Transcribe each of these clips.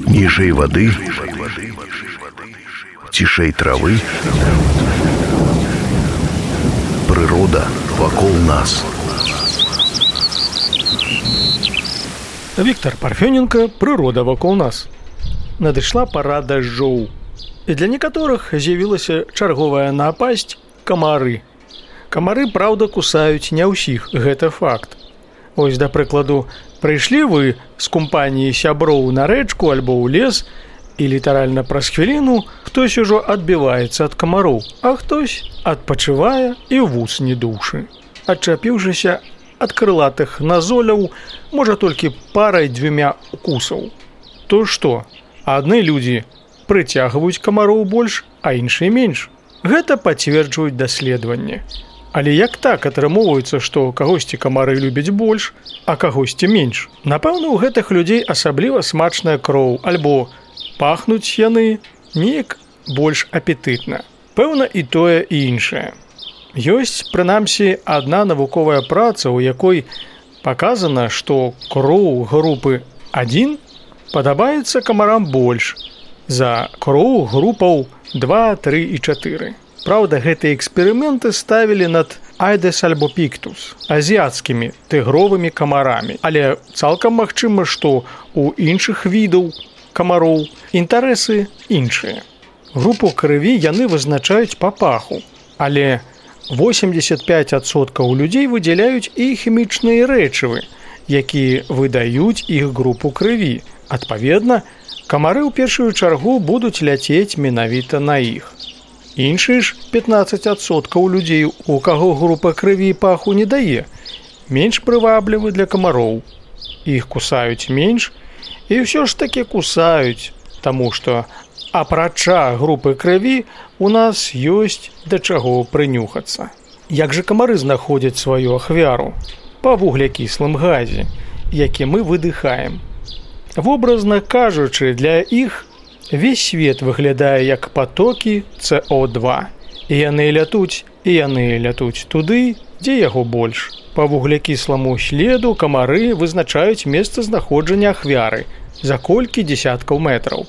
Ніжэй вады, цішэй травы, прырода вакол нас. Віктор Парфёненко «Прырода вакол нас». Надышла пара дажджоў. І для некаторых з'явілася чарговая напасць камары. Камары, праўда, кусаюць не ўсіх, гэта факт. Вось, да прыкладу, прыйшлі вы з кампаніі сяброў на рэчку альбо ў лес, і літаральна праз хвіліну хтось ужо адбіваецца ад камароў, а хтось адпачывае і ў вус не душы. Адчапіўшыся ад крылатых назоляў, можа толькі парай-дзвюмя укусаў. То што, адны людзі прыцягваюць камароў больш, а іншыя менш. Гэта пацверджваюць даследаванні. Але як так атрымоўваецца, што кагосьці камары любяць больш, а кагосьці менш? Напэўна, у гэтых людзей асабліва смачная кроў, альбо пахнуць яны неяк больш апетытна. Пэўна, і тое, і іншае. Ёсць, прынамсі, адна навуковая праца, у якой паказана, што кроў групы 1 падабаецца камарам больш за кроў групаў 2, 3 і 4. Праўда, гэтыя эксперыменты ставілі над Айдес альбопіктус, азіяцкімі тыгровымі камарамі. Але цалкам магчыма, што ў іншых відаў камароў інтарэсы іншыя. Групу крыві яны вызначаюць па паху, але 85% людзей выдзяляюць і хімічныя рэчывы, якія выдаюць іх групу крыві. Адпаведна, камары ў першую чаргу будуць ляцець менавіта на іх. Іншыя ж 15% людзей, у каго група крыві паху не дае, менш прываблівы для камароў. Іх кусаюць менш і ўсё ж такі кусаюць, таму што апрача групы крыві у нас ёсць да чаго прынюхацца. Як жа камары знаходзяць сваю ахвяру? Па вуглякіслым газе, які мы выдыхаем. Вобразна кажучы, для іх весь свет выглядае як патокі СО2. І яны лятуць туды, дзе яго больш. Па вуглякісламу следу камары вызначаюць месцазнаходжання ахвяры за колькі дзесяткаў метраў.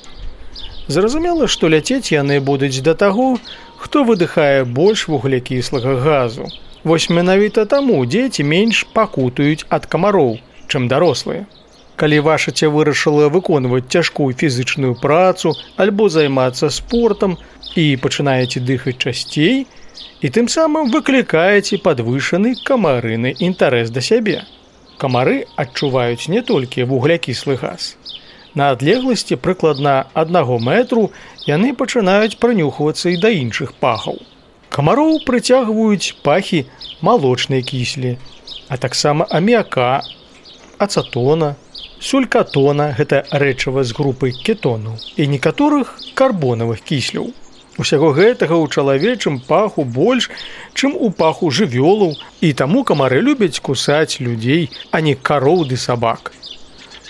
Зразумела, што ляцець яны будуць да таго, хто выдыхае больш вуглякіслага газу. Вось менавіта таму дзеці менш пакутаюць ад камароў, чым дарослыя. Калі ваша ця вырашыла выконваць цяжкую фізычную працу альбо займацца спортам і пачынаеце дыхаць часцей, і тым самым выклікаеце падвышаны камарыны інтарэс да сябе. Камары адчуваюць не толькі вуглякіслы газ. На адлегласці прыкладна 1 метру яны пачынаюць прынюхвацца і да іншых пахаў. Камароў прыцягваюць пахі малочнай кіслі, а таксама аміака, ацетона, сулькатона, гэта рэчыва з групы кетонаў, і некаторых карбонавых кісляў. Усяго гэтага ў чалавечым паху больш, чым у паху жывёлаў, і таму камары любяць кусаць людзей, а не кароў ды сабак.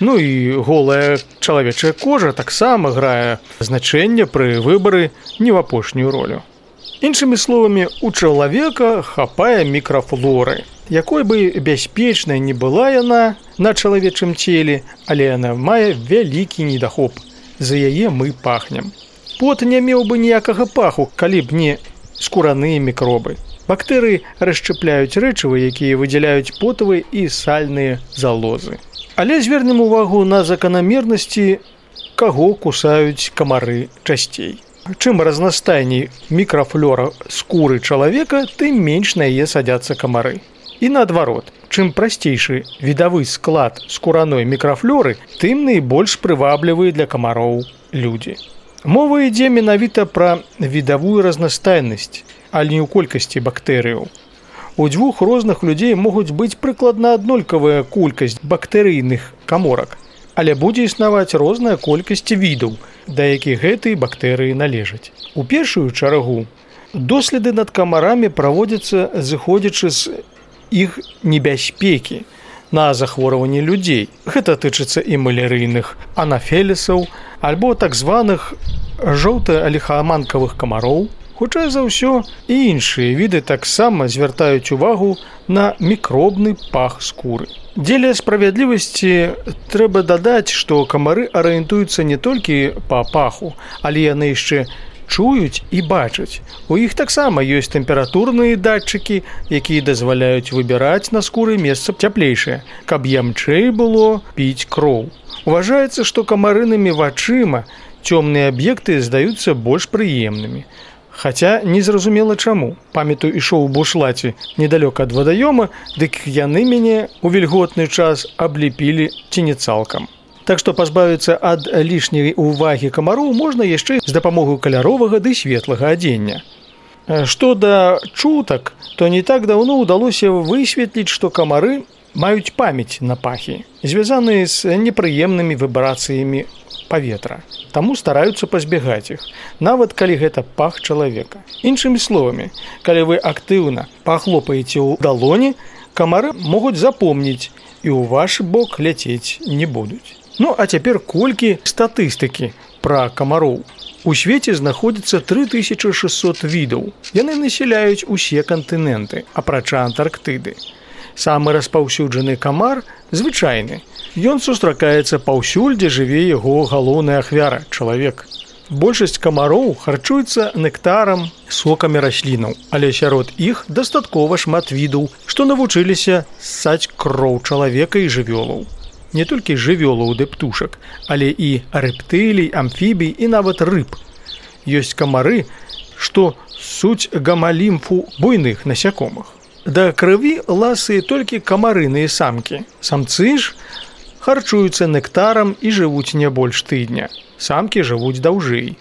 Ну і голая чалавечая кожа таксама грае значэнне пры выбары не в апошнюю ролю. Іншымі словамі, у чалавека хапае мікрафлоры, якой бы бяспечнай не была яна на чалавечым целе, але яна мае вялікі недахоп. За яе мы пахнем. Пот не меў бы ніякага паху, калі б не скураныя мікробы. Бактэрыі расшчапляюць рэчывы, якія выдзяляюць потавыя і сальныя залозы. Але звернем увагу на заканамернасці, каго кусаюць камары часцей. Чым разнастайней мікрафлора скуры чалавека, тым менш на яе садзяцца камары. І наадварот, чым прасцейшы відавы склад скураной мікрафлоры, тым найбольш прываблівыя для камароў людзі. Мова ідзе менавіта пра відавую разнастайнасць, але не ў колькасці бактэрыяў. У дзвюх розных людзей могуць быць прыкладна аднолькавая колькасць бактэрыйных каморак, але будзе існаваць розная колькасць відаў, да якіх гэтыя бактэрыі належаць. У першую чаргу доследы над камарамі праводзяцца зыходзячы з іх небяспекі на захворванні людзей. Гэта тычыцца і малярыйных анафелісаў, альбо так званых жоўта-ліхаманкавых камароў, Хутчэй за ўсё, і іншыя віды таксама звяртаюць увагу на мікробны пах скуры. Дзеля справядлівасці трэба дадаць, што камары арыентуюцца не толькі па паху, але яны яшчэ чуюць і бачаць. У іх таксама ёсць тэмпературныя датчыкі, якія дазваляюць выбіраць на скуры месца цяплейшае, каб ямчэй было піць кроў. Уважаецца, што камарынымі вачыма цёмныя аб'екты здаюцца больш прыемнымі. Хаця незразумела чаму. Памятаю, ішоў у бушлаце недалёка ад вадаёма, дык яны мяне ў вільготны час абліпілі ці не цалкам. Так што пазбавіцца ад лішняй увагі камароў можна яшчэ з дапамогай каляровага ды светлага адзення. Што да чутак, то не так даўно ўдалося высветліць, што камары маюць памяць на пахі, звязаныя з непрыемнымі вібрацыямі паветра. Таму стараюцца пазбягаць іх, нават калі гэта пах чалавека. Іншымі словамі, калі вы актыўна пахлопаеце ў далоні, камары могуць запомніць і ў ваш бок ляцець не будуць. Ну, а цяпер колькі статыстыкі пра камароў. У свеце знаходзіцца 3600 відаў. Яны насяляюць усе кантыненты, апрача Антарктыды. Самы распаўсюджаны камар звычайны. Ён сустракаецца паўсюль, дзе жыве яго галоўная ахвяра – чалавек. Большасць камароў харчуецца нектарам, сокамі раслінаў, але сярод іх дастаткова шмат відаў, што навучыліся ссаць кроў чалавека і жывёлаў. Не толькі жывёлаў ды птушак, але і рэптылій, амфібій і нават рыб. Ёсць камары, што ссуць гамалімфу буйных насякомых. Да крыві ласыя толькі камарыныя самкі. Самцы ж харчуюцца нектарам і жывуць не больш тыдня. Самкі жывуць даўжэй.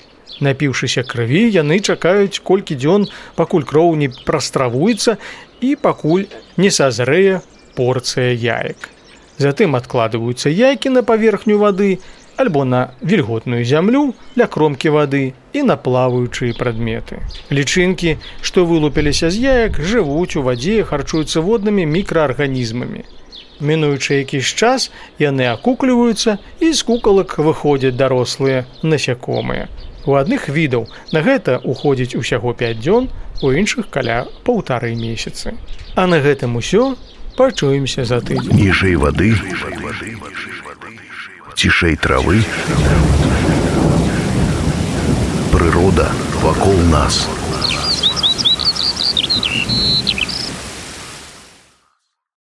Напіўшыся крыві, яны чакаюць колькі дзён, пакуль кроў не прастравуецца і пакуль не сазрэе порцыя яек. Затым адкладваюцца яйкі на паверхню вады альбо на вільготную зямлю ля кромкі вады і на плаваючыя прадметы. Лічынкі, што вылупіліся з яек, жывуць у вадзе, харчуюцца воднымі мікраарганізмамі. Мінуючы якийсь час, яны акукліваюцца і з кукалак выходзяць дарослыя насякомыя. У адных відаў на гэта уходзіць усяго 5 дзён, у іншых каля 1,5 месяцы. А на гэтым усё. Пачуемся за тыдзень. Ніжэй вады, цішэй травы, прырода вакол нас.